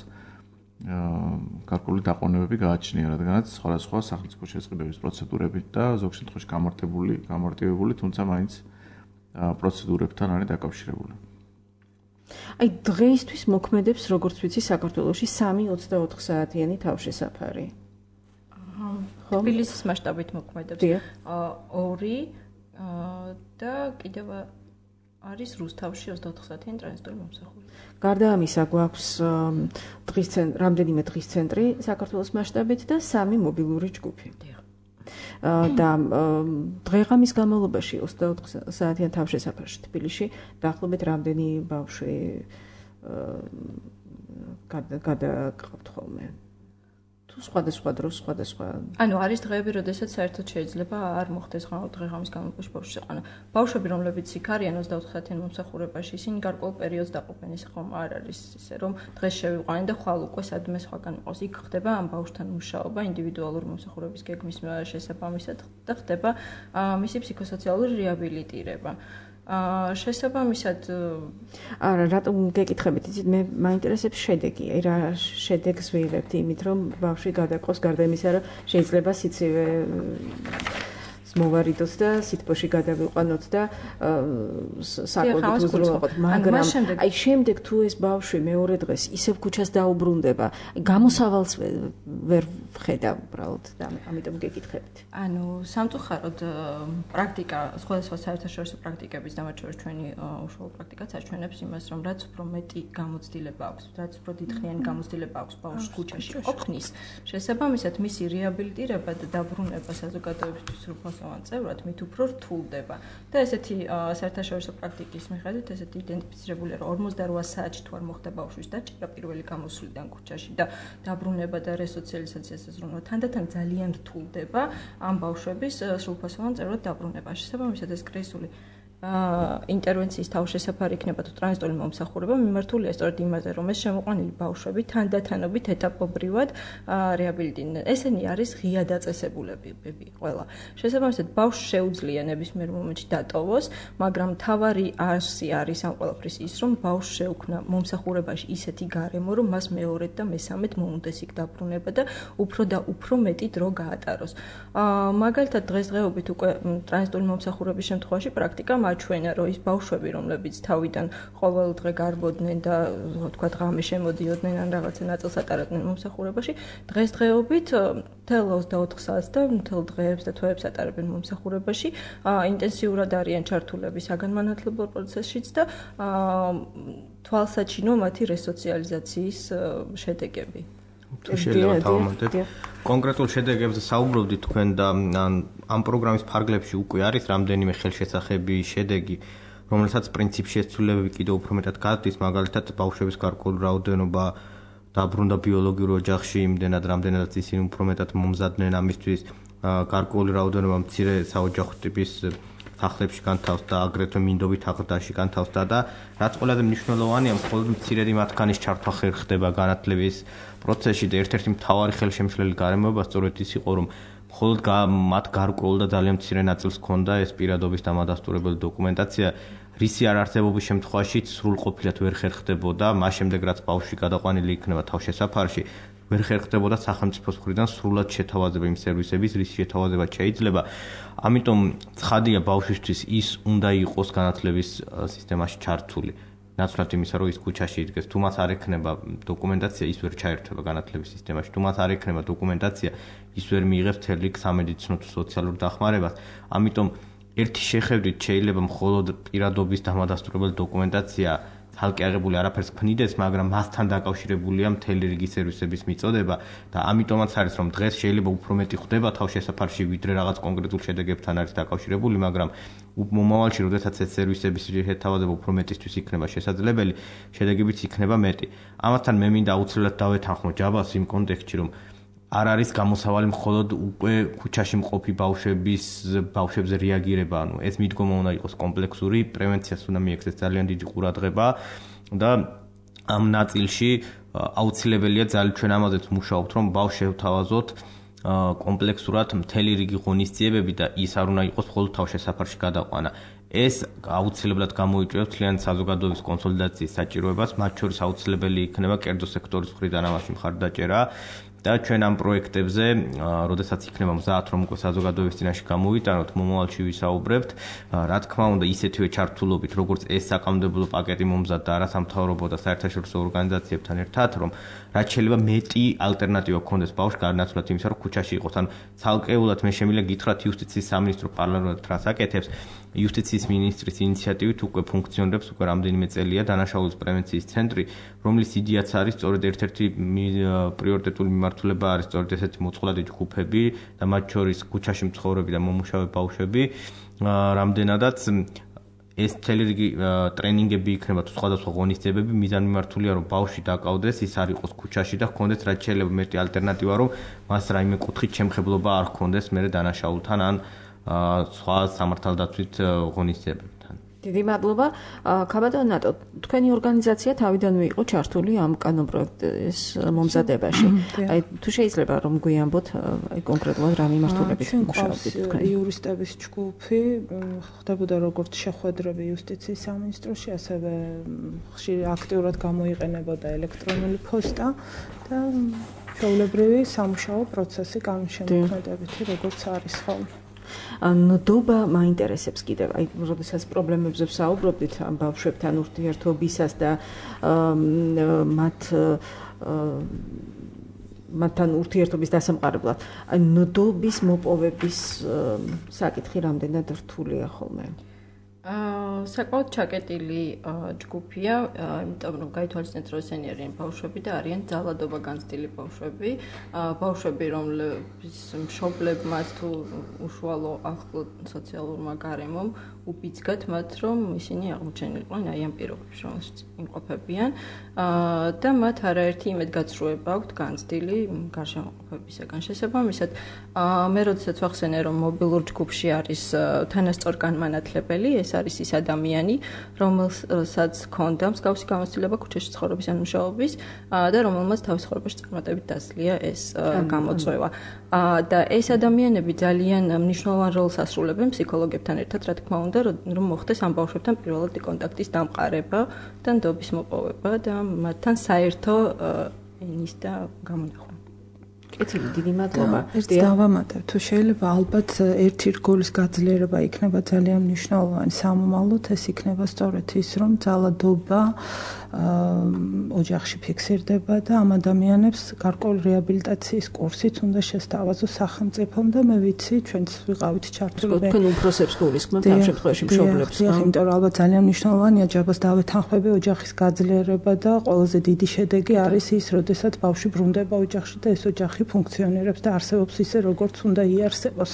გარკვეული დაყოვნებები გააჩნია, რადგანაც სხვადასხვა სახელმწიფო შესყიდვების პროცედურებით და ზოგ შემთხვევაში გამარტივებული, თუმცა მაინც პროცედურებთან არის დაკავშირებული. აი დღეისთვის მოქმედებს, როგორც ვიცი, საქართველოში 3-24 საათიანი თავშესაფარი. თბილისის მასშტაბით მოქმედებს 2 და კიდევ არის რუსთავში 24 საათიანი ტრანზიტული მომსახურება. გარდა ამისა გვაქვს რამდენიმე დღის ცენტრი საქართველოს მასშტაბით და 3 მობილური ჯგუფი. და დღეღამის განმავლობაში 24 საათიან თავშესაფარში თბილისში დაახლოებით რამდენი ბავშვი გადაგყავთ ხოლმე? თუ სხვადასხვა დროს სხვადასხვა ანუ არის დღეები, როდესაც საერთოდ შეიძლება არ მოხდეს დღეღამის განმავლობაში ბავშვს შეყვანა. ბავშვები, რომლებიც იქ არიან 24 საათიან მომსახურებაში, ისინი გარკვეულ პერიოდს დაყოფენ, ის ხომ არ არის ისე, რომ დღეს შევიყვანენ და ხვალ უკვე სადმე სხვაგან იყოს. იქ ხდება ამ ბავშვთან მუშაობა ინდივიდუალური მომსახურების გეგმის შესაბამისად და ხდება მისი ფსიქოსოციალური რეაბილიტირება. შესაბამისად არა, რატომ გეკითხებით, იცით, მე მაინტერესებს შედეგი. აი რა შედეგს ვიღებთ იმით, რომ ბავშვი გადაყოს გარდა იმისა, რომ შეიძლება სიცივე მოვარიდოთ და სითბოში გადავიყვანოთ და საკვებით უზრუნველყოთ, მაგრამ აი შემდეგ თუ ეს ბავშვი მეორე დღეს ისევ ქუჩას დაუბრუნდება, აი გამოსავალს ვერ ვხედავ უბრალოდ და ამიტომ გეკითხებით. ანუ სამწუხაროდ პრაქტიკა, სხვადასხვა საერთაშორისო პრაქტიკების და მათ შორის ჩვენი უშუალო პრაქტიკაც აჩვენებს იმას, რომ რაც უფრო მეტი გამოცდილება აქვს, რაც უფრო დიდხნიანი გამოცდილება აქვს ბავშვს ქუჩაში ყოფნის, შესაბამისად მისი რეაბილიტირება და დაბრუნება საზოგადოებისთვის სრულფასოვან წევრად მით უფრო რთულდება. და ესეთი საერთაშორისო პრაქტიკის მიხედვით ესეთი იდენტიფიცირებულია, რომ 48 საათში თუ არ მოხდა ბავშვის დაჭერა პირველი გამოსვლიდან ქუჩაში და დაბრუნება და რესოციალიზაციას ზრუნვა, თანდათან ძალიან რთულდება ამ ბავშვების სრულფასოვან წევრად დაბრუნება. შესაბამისად ეს კრიზისული ინტერვენციის თავშესაფარი იქნება თუ ტრანზიტული მომსახურება მიმართულია სწორედ იმაზე, რომ ეს შემოყვანილი ბავშვები თანდათანობით ეტაპობრივად რეაბილიტირდნენ. ესენი არის ღია დაწესებულებები ყველა. შესაბამისად ბავშვს შეუძლია ნებისმიერ მომენტში დატოვოს, მაგრამ მთავარი არსი არის ამ ყველაფრის ის, რომ ბავშვს შეუქმნა მომსახურებაში ისეთი გარემო, რომ მას მეორედ და მესამედ მოუნდეს იქ დაბრუნება და უფრო და უფრო მეტი დრო გაატაროს. მაგალითად დღესდღეობით უკვე ტრანზიტული მომსახურების შემთხვევაში პრაქტიკა აჩვენა, რომ ის ბავშვები, რომლებიც თავიდან ყოველ დღე გარბოდნენ და თქვა ღამე შემოდიოდნენ ან რაღაცა ნაწილს ატარებდნენ მომსახურებაში, დღესდღეობით მთელ 24 საათს და მთელ დღეებს და თვეებს ატარებენ მომსახურებაში, ინტენსიურად არიან ჩართულები საგანმანათლებლო პროცესშიც და თვალსაჩინო მათი რესოციალიზაციის შედეგები. თუ შეიძლება დავამატებ კონკრეტულ შედეგებზე საუბრობდი თქვენ და ამ პროგრამის ფარგლებში უკვე არის რამდენიმე ხელშესახები შედეგი, რომელსაც პრინციპში ცვლილებები კიდევ უფრო მეტად გადის, მაგალითად ბავშვების გარკვეული რაოდენობა დაბრუნდა ბიოლოგიურ ოჯახში, იმდენად რამდენადაც ისინი უფრო მეტად მომზადდნენ ამისთვის, გარკვეული რაოდენობა მცირე საოჯახო ტიპის სახლებში განთავსდა, აგრეთვე მინდობით აღდაში განთავსდა და რაც ყველაზე მნიშვნელოვანია, მხოლოდ მცირედი მათგანის ჩართვა ხდება განათლების პროცესში და ერთ-ერთი მთავარი ხელშემშლელი გარემოება სწორედ ის იყო, რომ მხოლოდ მათ გარკვეულ და ძალიან მცირე ნაწილს ჰქონდა ეს პირადობის დამადასტურებელი დოკუმენტაცია, რისი არ არსებობის შემთხვევაში სრულყოფილად ვერ ხერხდებოდა, მას შემდეგ რაც ბავშვი გადაყვანილი იქნება თავშესაფარში, ვერ ხერხდებოდა სახელმწიფოს მხრიდან სრულად შეთავაზება იმ სერვისების, რის შეთავაზებაც შეიძლება. ამიტომ ცხადია ბავშვისთვის ის უნდა იყოს განათლების სისტემაში ჩართული. ნაცვლად იმისა, რომ ის ქუჩაში იდგეს, თუ მას არ ექნება დოკუმენტაცია, ის ვერ ჩაერთვება განათლების სისტემაში. თუ მას არ ექნება დოკუმენტაცია, ის ვერ მიიღებს მთელი სამედიცინო თუ სოციალურ დახმარებას. ამიტომ ერთი შეხედვით შეიძლება მხოლოდ პირადობის დამადასტურებელი დოკუმენტაცია თალკე აღებული არაფერს ქმნიდეს, მაგრამ მასთან დაკავშირებულია მთელი რიგი სერვისების მიწოდება და ამიტომაც არის, რომ დღეს შეიძლება უფრო მეტი ხდება თავშესაფარში, ვიდრე რაღაც კონკრეტულ შედეგებთან არის დაკავშირებული, მაგრამ მომავალში, როდესაც ეს სერვისების შეთავაზება უფრო მეტისთვის იქნება შესაძლებელი, შედეგებიც იქნება მეტი. ამასთან მე მინდა აუცილებლად დავეთანხმო ჯაბას იმ კონტექსტში, რომ არ არის გამოსავალი მხოლოდ უკვე ქუჩაში მყოფი ბავშვებზე რეაგირება, ანუ ეს მიდგომა უნდა იყოს კომპლექსური, პრევენციას უნდა მიექცეს ძალიან დიდი ყურადღება და ამ ნაწილში აუცილებელია ძალიან ჩვენ ამაზეც მუშაობთ, რომ ბავშვს შევთავაზოთ კომპლექსურად მთელი რიგი ღონისძიებები და ის არ უნდა იყოს მხოლოდ თავშესაფარში გადაყვანა. ეს აუცილებლად გამოიწვევს მთლიანი საზოგადოების კონსოლიდაციის საჭიროებას, მათ შორის აუცილებელი იქნება კერძო სექტორის მხრიდან ამაში მხარდაჭერა და ჩვენ ამ პროექტებზე, როდესაც იქნება მზად რომ უკვე საზოგადოების წინაშე გამოვიტანოთ, მომავალში ვისაუბრებთ, რა თქმა უნდა, ისეთივე ჩართულობით, როგორც ეს საკანონმდებლო პაკეტი მომზადდა არასამთავრობო და საერთაშორისო ორგანიზაციებთან ერთად, რომ რაც შეიძლება მეტი ალტერნატივა გქონდეს ბავშვს გარნაცვლად იმისა, რომ ქუჩაში იყოს. ანუ ცალკეულად მე შემიძლია გითხრათ იუსტიციის სამინისტრო პარალელურად რას აკეთებს. იუსტიციის მინისტრის ინიციატივით უკვე ფუნქციონირებს უკვე რამდენიმე წელია დანაშაულების პრევენციის ცენტრი, რომლის იდეაც არის სწორედ ერთ-ერთი პრიორიტეტული მიმართულება არის სწორედ ესეთი მოწყვლადი ჯგუფები და მათ შორის ქუჩაში მცხოვრები და მომუშავე ბავშვები, რამდენადაც ეს მთელი რიგი ტრენინგები იქნება თუ სხვადასხვა ღონისძიებები მიზანმიმართულია რომ ბავშვი დაკავდეს, ის არ იყოს ქუჩაში და ჰქონდეს რაც შეიძლება მეტი ალტერნატივა, რომ მას რაიმე კუთხით შემხებლობა არ ჰქონდეს მერე დანაშაულთან ან სხვა სამართალდაცვით ღონისძიებებთან. დიდი მადლობა. ქაბატონ ნატო, თქვენი ორგანიზაცია თავიდანვე იყო ჩართული ამ კანონპროექტის მომზადებაში. აი თუ შეიძლება რომ გვიამბოთ აი კონკრეტულად რა მიმართულებით მუშაობდით თქვენ? იურისტების ჯგუფი ხდებოდა როგორც შეხვედრები იუსტიციის სამინისტროში, ასევე ხშირი აქტიურად გამოიყენებოდა ელექტრონული პოსტა და ჩვეულებრივი სამუშაო პროცესი კანონშემოქმედებითი როგორც არის ხოლმე. ნდობა მაინტერესებს კიდევ, აი, როდესაც პრობლემებზე ვსაუბრობდით ამ ბავშვებთან ურთიერთობისას და მათთან ურთიერთობის დასამყარებლად, აი, ნდობის მოპოვების საკითხი რამდენად რთულია ხოლმე? საკმაოდ ჩაკეტილი ჯგუფია, იმიტომ რომ გაითვალისწინეთ, რომ ესენი არიან ბავშვები და არიან ძალადობა განცდილი ბავშვები, ბავშვები, რომლების მშობლებმაც თუ უშუალო ახლო სოციალურმა გარემომ უბიძგათ მათ, რომ ისინი აღმოჩენილიყვნენ აი ამ პირობებში, რომელშიც იმყოფებიან და მათ არაერთი იმედგაცრუება აქვთ განცდილი გარშემოყოფებისაგან. შესაბამისად, მე როდესაც ვახსენე, რომ მობილურ ჯგუფში არის თანასწორ განმანათლებელი, ეს არის ის ადამიანი, რომელსაც ჰქონდა მსგავსი გამოცდილება ქუჩაში ცხოვრების ან მუშაობის და რომელმაც თავის ცხოვრებაში წარმატებით დასძლია ეს გამოწვევა. და ეს ადამიანები ძალიან მნიშვნელოვან როლს ასრულებენ ფსიქოლოგებთან ერთად, რა თქმა უნდა, რომ მოხდეს ამ ბავშვებთან პირველად კონტაქტის დამყარება და ნდობის მოპოვება და მათთან საერთო ენის და გამონახვა. კეთილი, დიდი მადლობა. ერთ დავამატებ, თუ შეიძლება ალბათ ერთი რგოლის გაძლიერება იქნება ძალიან მნიშვნელოვანი სამომავლოდ, ეს იქნება სწორედ ის, რომ ძალადობა ოჯახში ფიქსირდება და ამ ადამიანებს გარკვეული რეაბილიტაციის კურსიც უნდა შესთავაზოს სახელმწიფომ და მე ვიცი, ჩვენც ვიყავით ჩართული. თქვენ უფროსებს გულისხმობთ ამ შემთხვევაში მშობლებს. იმიტომ რომ ალბათ ძალიან მნიშვნელოვანია ჯაბას დავეთანხმები ოჯახის გაძლიერება და ყველაზე დიდი შედეგი არის ის, როდესაც ბავშვი ბრუნდება ოჯახში და ეს ოჯახი ფუნქციონირებს და არსებობს ისე, როგორც უნდა იარსებოს.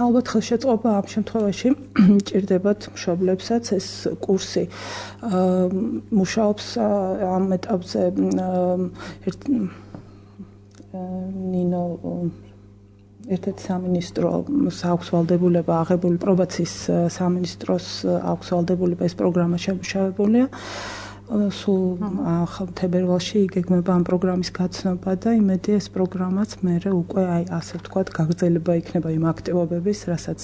ალბათ ხელშეწყობა ამ შემთხვევაში ჭირდებათ მშობლებსაც ეს კურსი მუშაობს ამ ეტაპზე ნინო ერთ-ერთი სამინისტროს აქვს ვალდებულება აღებული პრობაციის სამინისტროს აქვს ვალდებულება ეს პროგრამა შემუშავებულია. სულ თებერვალში იგეგმება ამ პროგრამის გაცნობა და იმედია ეს პროგრამაც მერე უკვე აი ასე ვთქვათ გაგრძელება იქნება იმ აქტივობების, რასაც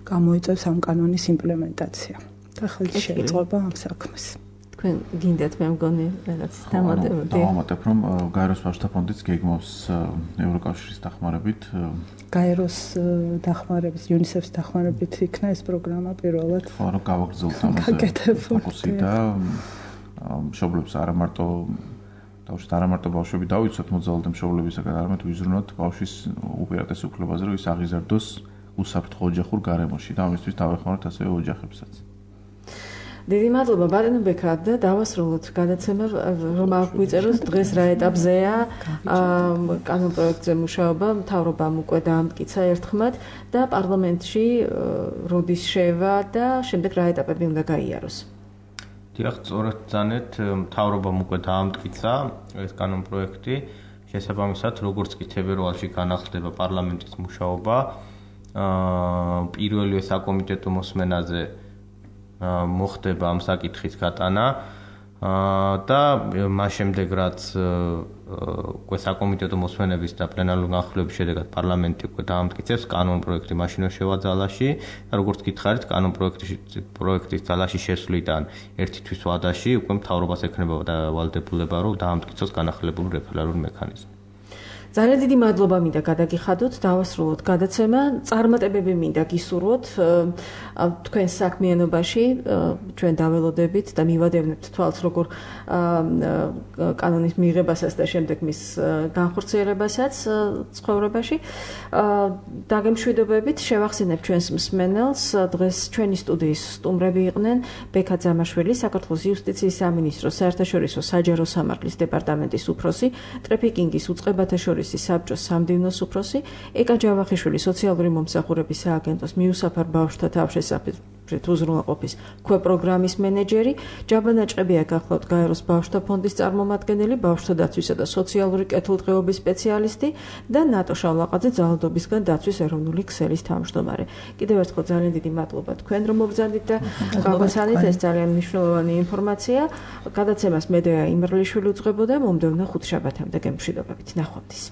გამოიწვევს ამ კანონის იმპლემენტაცია. და ხელში შეიწყება ამ საქმეს. თქვენ გინდათ მე მგონი რაღაც დავამატებ, რომ გაეროს ბავშვთა ფონდიც გეგმავს ევროკავშირის დახმარებით გაეროს დახმარების, UNICEF-ის დახმარებით იქნა ეს პროგრამა პირველად. ხო, რომ გავაგრძელოთ ამაზე ფოკუსი და მშობლებს არა მარტო ბავშვები დავიცვათ მოძალადე მშობლებისაგან, არამედ ვიზრუნოთ ბავშვის უპირატეს უფლებაზე, რომ ის აღიზარდოს უსაფრთხო ოჯახურ გარემოში და ამისთვის დავეხმაროთ ასევე ოჯახებსაც. დიდი მადლობა ბატონო ბექა და დავასრულოთ გადაცემა, რომ აღვიწეროთ დღეს რა ეტაპზეა კანონპროექტზე მუშაობა, მთავრობამ უკვე დაამტკიცა ერთხმად და პარლამენტში როდის შევა და შემდეგ რა ეტაპები უნდა გაიაროს. დიახ, სწორად ძანეთ, მთავრობამ უკვე დაამტკიცა ეს კანონპროექტი, შესაბამისად, როგორც კი თებერვალში განახლდება პარლამენტის მუშაობა, პირველივე საკომიტეტო მოსმენაზე მოხდება ამ საკითხის გატანა და მას შემდეგ რაც უკვე საკომიტეტო მოსმენების და პლენარული განხილვების შედეგად პარლამენტი უკვე დაამტკიცებს კანონპროექტი მაშინვე შევა ძალაში და როგორც გითხარით კანონპროექტის ძალაში შესვლიდან ერთი თვის ვადაში უკვე მთავრობას ექნება და ვალდებულება რომ დაამტკიცოს განახილებული რეფერალური მექანიზმი. ძალიან დიდი მადლობა მინდა გადაგიხადოთ, დავასრულოთ გადაცემა. წარმატებები მინდა გისურვოთ თქვენ საქმიანობაში, ჩვენ დაველოდებით და მივადევნებთ თვალს როგორ კანონის მიღებასაც და შემდეგ მის განხორციელებასაც ცხოვრებაში. დაგემშვიდობებით, შევახსენებ ჩვენს მსმენელს, დღეს ჩვენი სტუდიის სტუმრები იყვნენ ბექა ძამაშვილი, საქართველოს იუსტიციის სამინისტროს საერთაშორისო საჯარო სამართლის დეპარტამენტის უფროსი, ტრაფიკინგის უწყებათა შორის საბჭოს სამდივნოს უფროსი, ეკა ჯავახიშვილი სოციალური მომსახურების სააგენტოს მიუსაფარ ბავშვთა თავშესაფრით უზრუნველყოფის ქვეპროგრამის მენეჯერი, ჯაბანა ჭყებია გახლავთ გაეროს ბავშვთა ფონდის წარმომადგენელი, ბავშვთა დაცვისა და სოციალური კეთილდღეობის სპეციალისტი და ნატო შავლაყაძე ძალადობისგან დაცვის ეროვნული ქსელის თავმჯდომარე. კიდევ ერთხელ ძალიან დიდი მადლობა თქვენ რომ მობრძანდით და გავგაცანით, ეს ძალიან მნიშვნელოვანი ინფორმაცია. გადაცემას მედეა იმერლიშვილი უძღვებოდა, მომდევნო ხუთშაბათამდე გემშვიდობებით. ნახვამდის.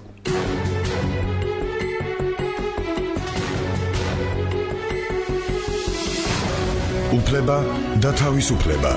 უფლება და თავისუფლება.